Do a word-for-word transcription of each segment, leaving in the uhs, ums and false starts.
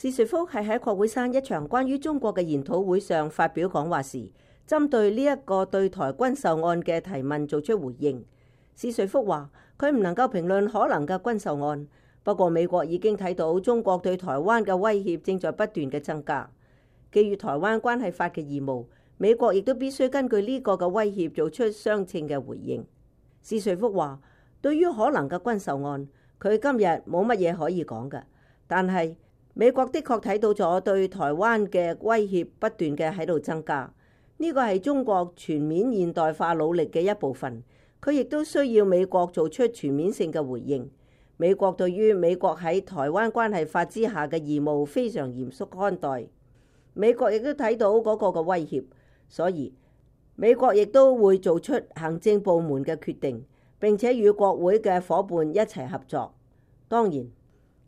史瑞福係喺國會山一場關於中國嘅研討會上發表講話時，針對呢一個對台軍售案嘅提問做出回應。史瑞福話：佢唔能夠評論可能嘅軍售案，不過美國已經睇到中國對台灣嘅威脅正在不斷嘅增加。基於台灣關係法嘅義務，美國亦都必須根據呢個嘅威脅做出相稱嘅回應。史瑞福話：對於可能嘅軍售案，佢今日冇乜嘢可以講嘅，但係美國的確睇到咗對台灣嘅威脅不斷嘅喺度增加，呢個係中國全面現代化努力嘅一部分。佢亦都需要美國做出全面性嘅回應。美國對於美國喺台灣關係法之下嘅義務非常嚴肅看待。美國亦都睇到嗰個嘅威脅，所以美國亦都會做出行政部門嘅決定，並且與國會嘅夥伴一齊合作。當然，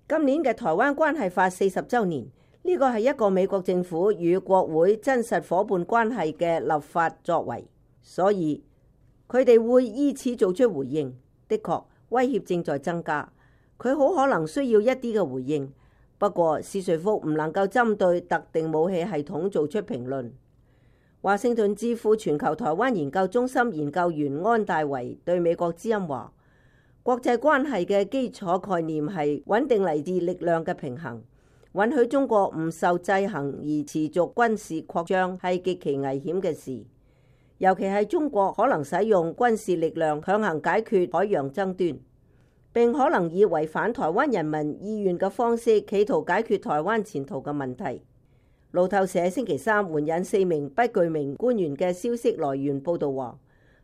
今年嘅台灣關係法四十週年，呢個係一個美國政府與國會真實夥伴關係嘅立法作為，所以佢哋會依此做出回應。的確，威脅正在增加，佢好可能需要一啲嘅回應。不過，史瑞福唔能夠針對特定武器系統做出評論。華盛頓智庫全球台灣研究中心研究員安大維對美國之音話：國際關係嘅基礎概念係穩定嚟自力量嘅平衡，允許中國唔受制衡而持續軍事擴張係極其危險嘅事。尤其係中國可能使用軍事力量強行解決海洋爭端，並可能以違反台灣人民意願嘅方式企圖解決台灣前途嘅問題。路透社星期三援引四名不具名官員嘅消息來源報道話，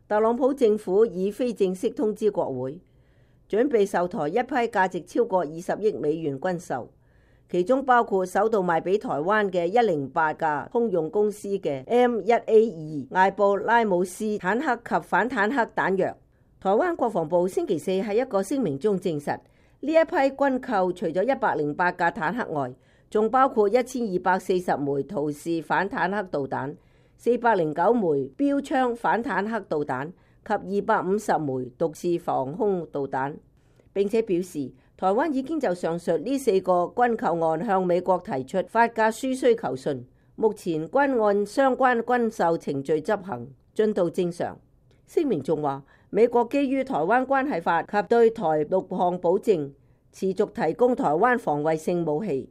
特朗普政府已非正式通知國會，準備售台一批價值超過二十億美元軍售，其中包括首度賣俾台灣嘅一零八架通用公司嘅 M 一 A 二艾布拉姆斯坦克及反坦克彈藥。台灣國防部星期四喺一個聲明中證實，呢一批軍購除咗一百零八架坦克外，仲包括一千二百四十枚陶式反坦克導彈、四百零九枚標槍反坦克導彈及二百五十枚獨式防空導彈。並且表示，台灣已經就上述呢四個軍購案向美國提出發價書需求信，目前均按相關軍售程序執行，進度正常。聲明仲話，美國基於台灣關係法及對台六項保證，持續提供台灣防衛性武器，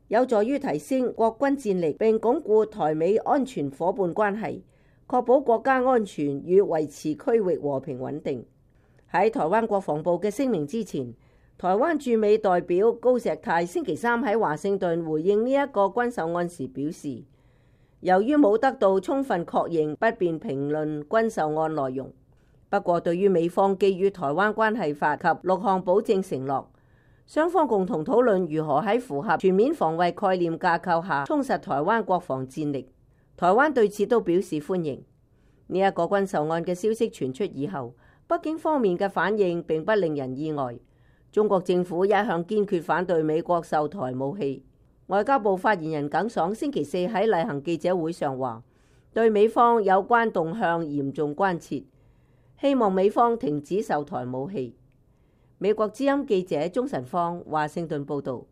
有助於提升國軍戰力並鞏固台美安全夥伴關係，確保國家安全與維持區域和平穩定。喺台灣國防部嘅聲明之前，台灣駐美代表高石泰星期三喺華盛頓回應呢一個軍售案時表示，由於冇得到充分確認，不便評論軍售案內容。不過，對於美方基於台灣關係法及六項保證承諾，雙方共同討論如何喺符合全面防衛概念架構下充實台灣國防戰力。台灣對此都表示歡迎。呢一個軍售案嘅消息傳出以後，北京方面嘅反應並不令人意外。中國政府一向堅決反對美國售台武器。外交部發言人耿爽星期四喺例行記者會上話，對美方有關動向嚴重關切，希望美方停止售台武器。美國之音記者鍾晨芳華盛頓報道。